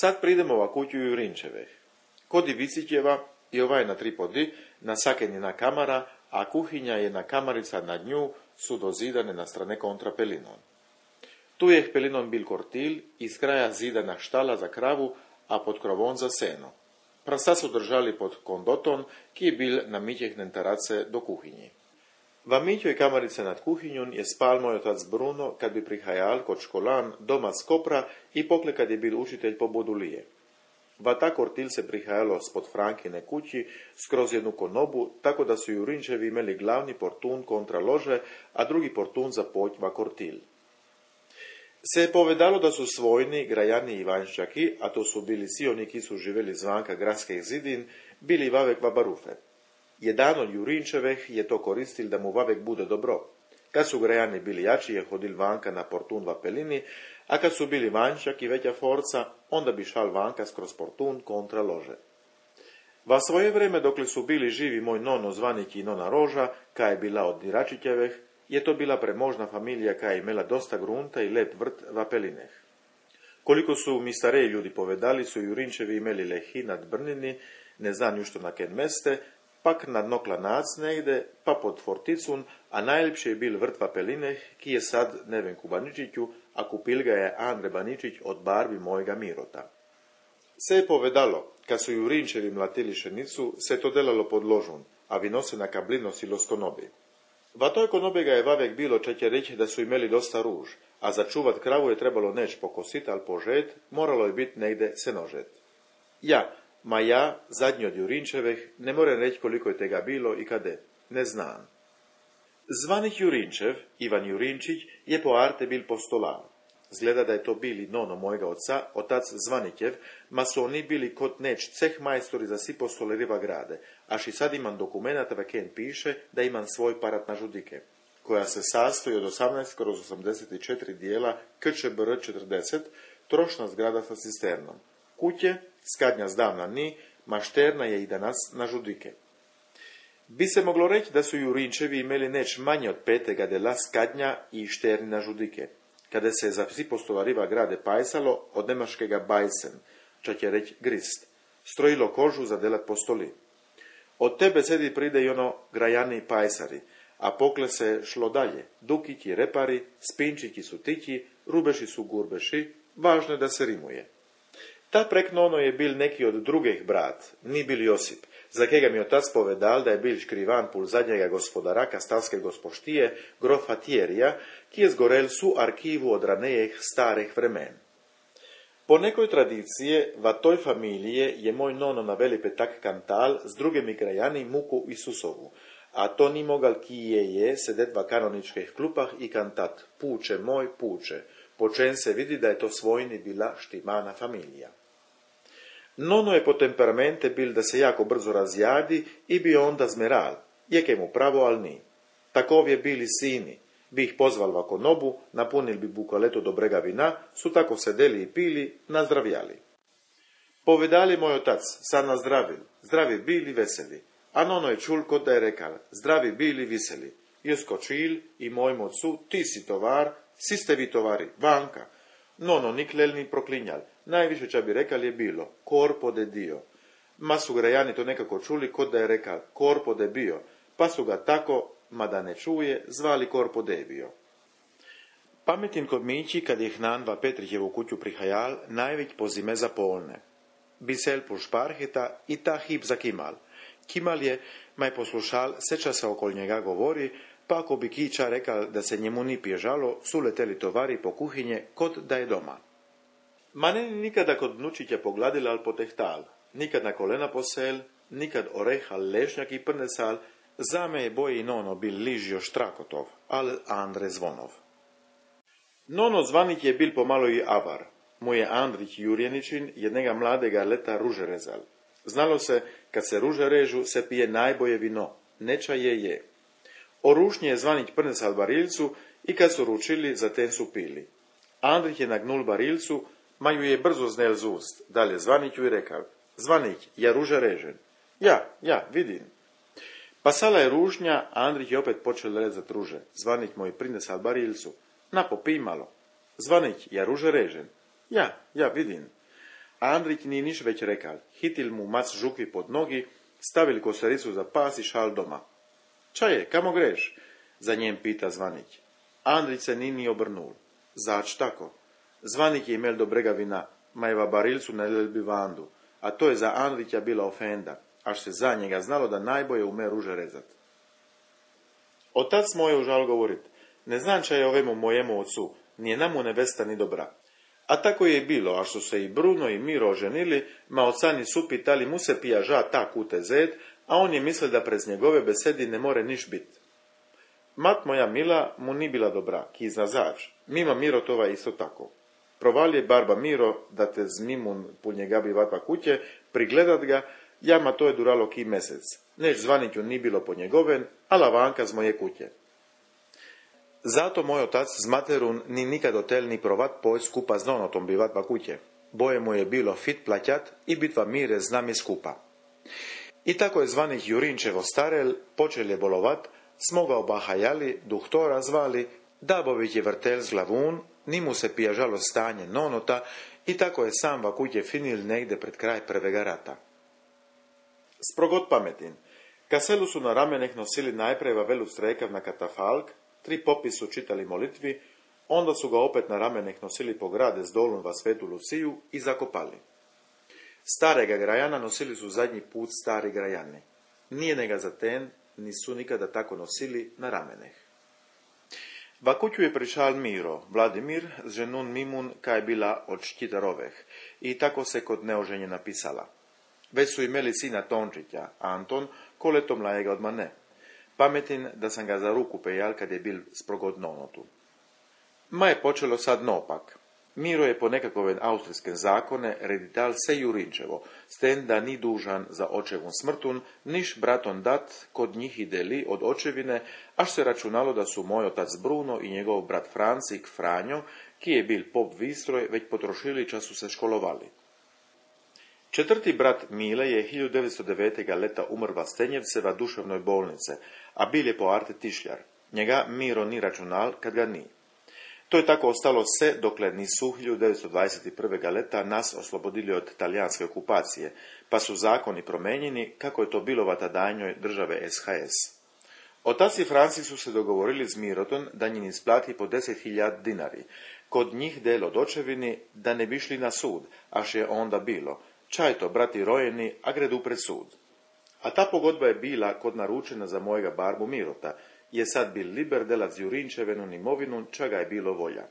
Sad pridemo ova kuću Jurinčeveh. Kod Ivicitjeva i ovaj na 3 podi, na sakenjina kamara, a kuhinja je na kamarica nad nju su dozidane na strane kontra pelinon. Tu je pelinon bil kortil, iz kraja zidana štala za kravu, a pod krovom za seno. Prasa su držali pod kondoton, ki je bil na mitjehnen tarace do kuhinji. V mitjoj kamarice nad kuhinjom je spal moj otac Bruno, kad bi prihajal kod školan doma z Kopra i pokle kad je bil učitelj po Bodulije. V ta kortil se prihajalo spod Frankine kući skroz jednu konobu, tako da su Jurinčevi imeli glavni portun kontra lože, a drugi portun za poć va kortil. Se je povedalo da su svojni, Grajani i Vanščaki, a to su bili svi oni ki su živeli zvanka gradskih zidin, bili vavek va barufe. Jedan od Jurinčeveh je to koristil da mu vavek bude dobro. Kad su Grajani bili jači je hodil vanka na portun va pelini, a kad su bili Vanščak i veća forca, onda bi šal vanka skroz portun kontra lože. Va svoje vreme dokle su bili živi moj nono Zvanik i nona Roža, ka je bila od Diračićeveh, je to bila premožna familija ka je imela dosta grunta i lep vrt va pelineh. Koliko su mi stareji ljudi povedali, su Jurinčevi imeli lehi nad Brnini, ne znam jušto na ken meste, pak nad Noklanac negde, pa pod Forticun, a najljepši je bil vrt va pelineh, ki je sad Nevenku Baničiću, a kupil ga je Andre Baničić od barbi mojega Mirota. Se je povedalo, kad su Jurinčevi mlatili šenicu, se to delalo pod ložun, a vino se na kablino silo s konobi. Va toj konobi ga je vavek bilo čak je reći da su imeli dosta ruž, a za čuvat kravu je trebalo neć pokosit, al požet, moralo je bit negde senožet. Ja, zadnji od Jurinčeveh, ne moram reći koliko je tega bilo i kade, ne znam. Zvanik Jurinčev, Ivan Jurinčić, je po arte bil postolar. Zgleda da je to bili nono mojega oca, otac Zvanikjev, ma su oni bili kod neć ceh majstori za si postoleriva grade, až i sad imam dokumenata ve ken piše da imam svoj parat na žudike, koja se sastoji od 18/84 dijela KČBR 40, trošna zgrada sa cisternom. Kuće, skadnja zdavna ni, mašterna je i danas na žudike. Bi se moglo reći da su Jurinčevi imeli neć manje od 5. dela skadnja i šterni na žudike, kada se za psi postolariva grade pajsalo od nemaškega bajsen, čak je reći grist, strojilo kožu za delat postoli. Od te besedi pride i ono Grajani pajsari, a pokle se šlo dalje, dukići repari, spinčići su tići, rubeši su gurbeši, važno je da se rimuje. Ta preknono je bil neki od drugih brat, ni bil Josip, za kega mi otac povedal da je bil škrivan pul zadnjega gospodara kastalske gospoštije, grofa Tjerija, ki je zgorel su arkivu od ranejih starih vremen. Po nekoj tradicije, va toj familije je moj nono naveli petak kantal z drugimi Grajani muku Isusovu, a to ni mogal ki je sedet va kanoničkih klupah i kantat Puče moj, puče, po čem se vidi da je to svojni bila štimana familija. Nono je po temperamente bil da se jako brzo razjadi i bi onda zmeral, jeke mu pravo, al ni. Takov je bili sini, bi ih pozval va konobu, napunil bi bukaletu dobrega vina, su tako sedeli i pili, nazdravljali. Povedali moj otac, sad nazdravil, zdravi bili veseli, a Nono je čul kod da je rekal, zdravi bili viseli. Je skočil i mojim ocu, ti si tovar, si ste vi tovari, vanka. Nono niklel ni proklinjal, najviše ča bi rekal je bilo, corpo de Dio. Ma su Grajani to nekako čuli kod da je rekal, corpo de bio, pa su ga tako, mada ne čuje, zvali corpo de bio. Pametin kod mići, kad je hnan va Petrićevu kuću prihajal, najveć po zime za polne. Bisel pu šparheta i ta hip za Kimal. Kimal je, maj poslušal, seča se okol njega govori, pa ako bi kiča rekal da se njemu ni pježalo, su leteli tovari po kuhinje kod da je doma. Ma ne nikada kod vnučića pogladila al potehtal, nikad na kolena posel, nikad orehal lešnjak i prnesal, zame je boje i Nono bil ližio Štrakotov, al Andre Zvonov. Nono Zvanik je bil pomalo i avar, mu je Andrić Jurjeničin jednega mladega leta ruže rezal. Znalo se, kad se ruže režu, se pije najboje vino, neča je. O rušnje je Zvanić prnesal barilcu i kad su ručili, zatem su pili. Andrić je nagnul barilcu, ma ju je brzo znel z ust, dalje Zvaniću i rekao, Zvanić, ja ruže režem. Ja, vidim. Pasala je rušnja, a Andrić je opet počel rezat ruže. Zvanić mu je prinesal barilcu. Na, popij malo. Zvanić, ja ruže režem. Ja, vidim. Andrić ni niš već rekal. Hitil mu mac žukvi pod nogi, stavili kosericu za pas i šal doma. Čaje, kamo greš? Za njem pita Zvanić. Andrić se ni obrnul. Zač tako? Zvanić je imel dobrega vina, majeva barilcu na lelbi vandu, a to je za Andrića bila ofenda, až se za njega znalo da najbolje ume ruže rezat. Otac moj užal govorit, ne znam ča je ovemu mojemu ocu, nije namu nevesta ni dobra. A tako je i bilo, a što se i Bruno i Miro oženili, ma oca nisu pitali mu se pija ža tak utezet, a on je mislil da prez njegove besedi ne more niš bit. Mat moja Mila mu ni bila dobra, kizna zač, mima Miro tova isto tako. Provalje barba Miro da te z mimun pul njega bi vatva kuće, prigledat ga, jama to je duralo ki mesec. Neš Zvaniću ni bilo po njegoven, a lavanka z moje kuće. Zato moj otac z materun ni nikad hotel ni provat poj skupa z nonotom bi vatva kuće. Boje mu je bilo fit plaćat i bitva mire z nami skupa. I tako je Zvanić Jurinčevo starel, počel je bolovat, smo ga obahajali, duhtora zvali, Dabović je vrtel z glavun, ni mu se pijažalo stanje nonota i tako je sam vakuće finil negde pred kraj prvega rata. Sprogot pametin. Kaselu su na rameneh nosili najpreva velu strekav na katafalk, 3 popi su čitali molitvi, onda su ga opet na rameneh nosili po grade s dolun va Svetu Luciju i zakopali. Starega grajana nosili su zadnji put stari grajani. Nije nega zaten, nisu nikada tako nosili na rameneh. Vakuću je prišal Miro, Vladimir, z ženun Mimun, kaj bila od Štitaroveh, i tako se kod neoženje napisala. Već su imeli sina Tončića, Anton, ko leto mlajega od mane. Pametin da sam ga za ruku pejal kad je bil sprogod nonotu. Ma je počelo sad nopak. Miro je po nekakove austrijske zakone redital se Jurinčevo, s tem da ni dužan za očevun smrtun, niš braton dat kod njih i deli od očevine, až se računalo da su moj otac Bruno i njegov brat Francik Franjo, ki je bil pop Vistroj, već potrošili čas su se školovali. Četvrti brat Mile je 1909. leta umrva Stenjevceva duševnoj bolnice, a bil je po arte tišljar. Njega Miro ni računal kad ga ni. To je tako ostalo se dokle nisu 1921. leta nas oslobodili od talijanske okupacije, pa su zakoni promenjeni kako je to bilo v tadajnjoj države SHS. Otac i Franci su se dogovorili z Mirotom da njim isplati po 10.000 dinari, kod njih del od očevini da ne bi šli na sud, až je onda bilo. Čaj to, brati rojeni, a gredu pred sud. A ta pogodba je bila kod naručena za mojega barbu Mirota, je sad bil liber delac Jurinčevenun imovinu, čega je bilo volja.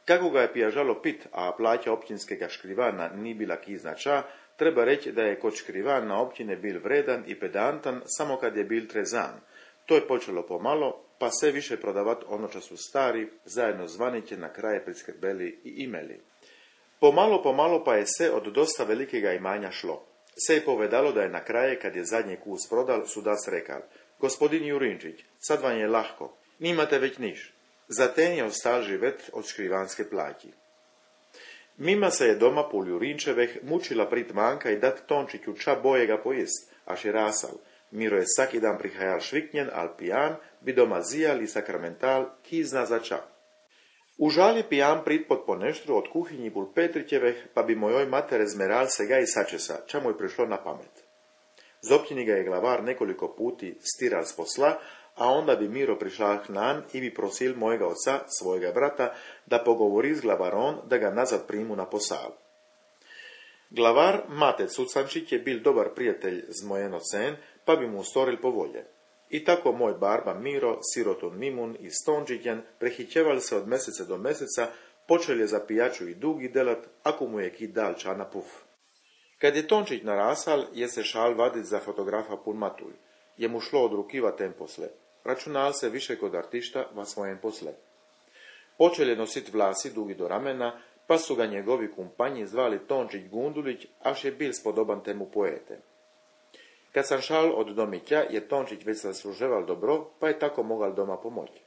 Kako ga je pijažalo pit, a plaća općinskega škrivana ni bila kiznača, treba reći da je kod škrivan na općine bil vredan i pedantan samo kad je bil trezan. To je počelo pomalo, pa sve više prodavat ono ča su stari, zajedno Zvaniće na kraje priskrbeli i imeli. Pomalo pa je se od dosta velikega imanja šlo. Se je povedalo da je na kraje, kad je zadnji kus prodal, sudac rekal: Gospodin Jurinčić, sad vam je lahko, nimate već niš. Zaten je ostal živet od škrivanske plati. Mima se je doma pol Jurinčeveh mučila prit manjka i dat Tončiću ča bojega pojest, až je rasal. Miro je svaki dan prihajal šviknjen, al pijan, bi doma zijal i sakramental, ki zna za ča. Užal je pijan prit pod poneštru od kuhinji pul Petrićeveh, pa bi mojoj matere zmeral se ga i sačesa, ča mu je prišlo na pamet. Z općini ga je glavar nekoliko puti stiral s posla, a onda bi Miro prišao k nan i bi prosil mojega oca, svojega brata, da pogovori s glavarom da ga nazad primu na posal. Glavar Mate Cucančić je bil dobar prijatelj z mojen ocen, pa bi mu storil po volje. I tako moj barba Miro, siroton Mimun i Stončićan prehićevali se od meseca do meseca, počeli je za pijaču i dugi delat, ako mu je ki dal ča na puf. Kad je Tončić narasal, je se šal vadit za fotografa pun matulj. Je mu šlo od rukiva tem posle. Računal se više kod artišta va svojem posle. Počel je nosit vlasi dugi do ramena, pa su ga njegovi kumpanji zvali Tončić Gundulić, až je bil spodoban temu poete. Kad sam šal od domića, je Tončić već zasluževal dobro, pa je tako mogal doma pomoći.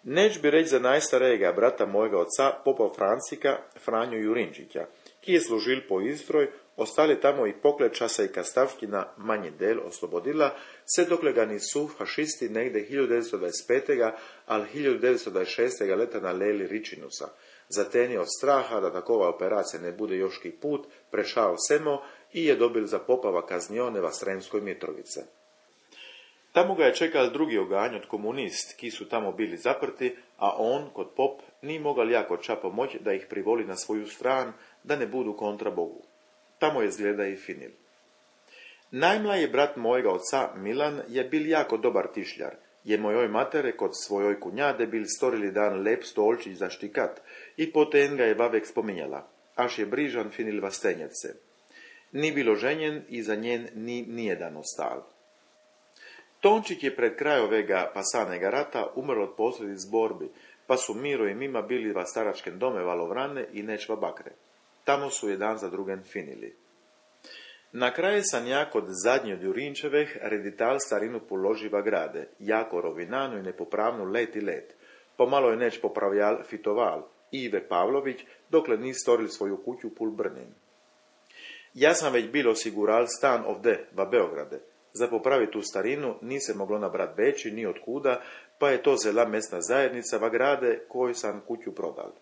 Neć bi reći za najstarejega brata mojega oca, popa Francika, Franju Jurinčića, ki je služil po Istroj, ostali tamo i pogled časa i kastavština manji del oslobodila, se dokle ga nisu fašisti negde 1925. ali 1926. leta naleli Ričinusa. Zateni od straha da takova operacija ne bude joški put, prešao semo i je dobil za popava kaznione v Sremskoj Mitrovice. Tamo ga je čekal drugi oganj od komunist, ki su tamo bili zaprti, a on, kot pop, ni mogal jako ča pomoć da ih privoli na svoju stran, da ne budu kontra Bogu. Tamo je zgleda i finil. Najmlaji brat mojega oca, Milan, je bil jako dobar tišljar. Je mojoj matere kod svojoj kunjade bil storili dan lep stolčić za štikat i potem ga je vavek spominjala, až je brižan finil vastenjece. Ni bilo ženjen i za njen ni nijedan ostal. Tončić je pred kraj ovega pasanega rata umrl od posljedic borbi, pa su Miro i Mima bili va staračkem dome Valovrane i Nečva Bakre. Tamo su jedan za drugen finili. Na kraju sam ja kod zadnje od Jurinčeveh redital starinu položiva grade, jako rovinanu i nepopravnu let i let. Pomalo je neć popravljal fitoval, Ive Pavlović, dokle ni storili svoju kuću pul Brnin. Ja sam već bilo osigural stan ovde, va Beograde. Za popraviti tu starinu ni se moglo nabrat veći ni od kuda, pa je to zela mesna zajednica va grade koju sam kuću prodal.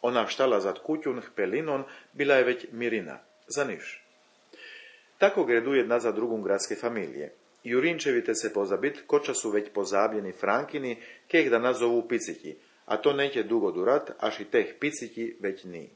Ona štala zad kućun Pelinon bila je već Mirina, za niš. Tako gredu jedna za drugom gradske familije. Jurinčevite se pozabit, koča su već pozabljeni Frankini, keh da nazovu piciki, a to neće dugo durat, až i teh piciki već ni.